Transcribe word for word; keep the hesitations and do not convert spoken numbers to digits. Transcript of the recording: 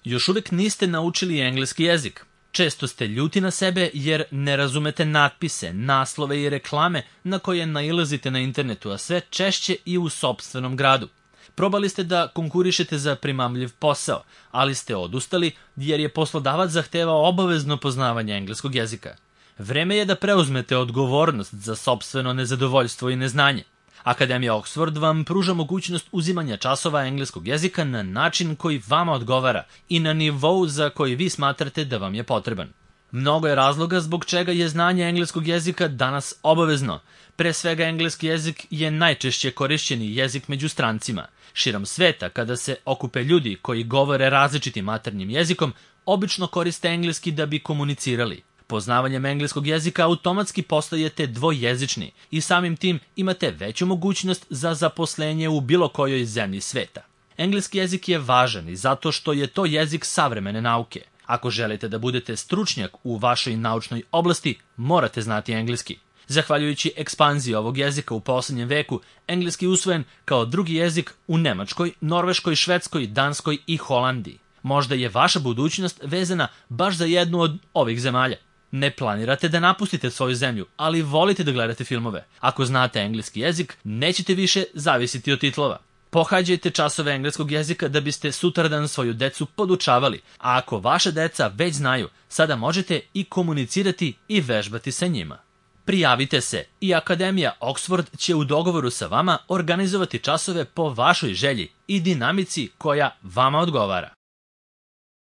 Još uvijek niste naučili engleski jezik. Često ste ljuti na sebe jer ne razumete natpise, naslove i reklame na koje nailazite na internetu, a sve češće i u sopstvenom gradu. Probali ste da konkurišete za primamljiv posao, ali ste odustali jer je poslodavac zahtevao obavezno poznavanje engleskog jezika. Vreme je da preuzmete odgovornost za sopstveno nezadovoljstvo i neznanje. Akademija Oxford vam pruža mogućnost uzimanja časova engleskog jezika na način koji vama odgovara i na nivou za koji vi smatrate da vam je potreban. Mnogo je razloga zbog čega je znanje engleskog jezika danas obavezno. Pre svega, engleski jezik je najčešće korišćeni jezik među strancima. Širom sveta, kada se okupe ljudi koji govore različitim maternjim jezikom, obično koriste engleski da bi komunicirali. Poznavanjem engleskog jezika automatski postajete dvojezični i samim tim imate veću mogućnost za zaposlenje u bilo kojoj zemlji sveta. Engleski jezik je važan i zato što je to jezik savremene nauke. Ako želite da budete stručnjak u vašoj naučnoj oblasti, morate znati engleski. Zahvaljujući ekspanziji ovog jezika u posljednjem veku, engleski je usvojen kao drugi jezik u Nemačkoj, Norveškoj, Švedskoj, Danskoj i Holandiji. Možda je vaša budućnost vezana baš za jednu od ovih zemalja. Ne planirate da napustite svoju zemlju, ali volite da gledate filmove. Ako znate engleski jezik, nećete više zavisiti od titlova. Pohađajte časove engleskog jezika da biste sutradan svoju decu podučavali, a ako vaša deca već znaju, sada možete i komunicirati i vežbati sa njima. Prijavite se i Akademija Oxford će u dogovoru sa vama organizovati časove po vašoj želji i dinamici koja vama odgovara.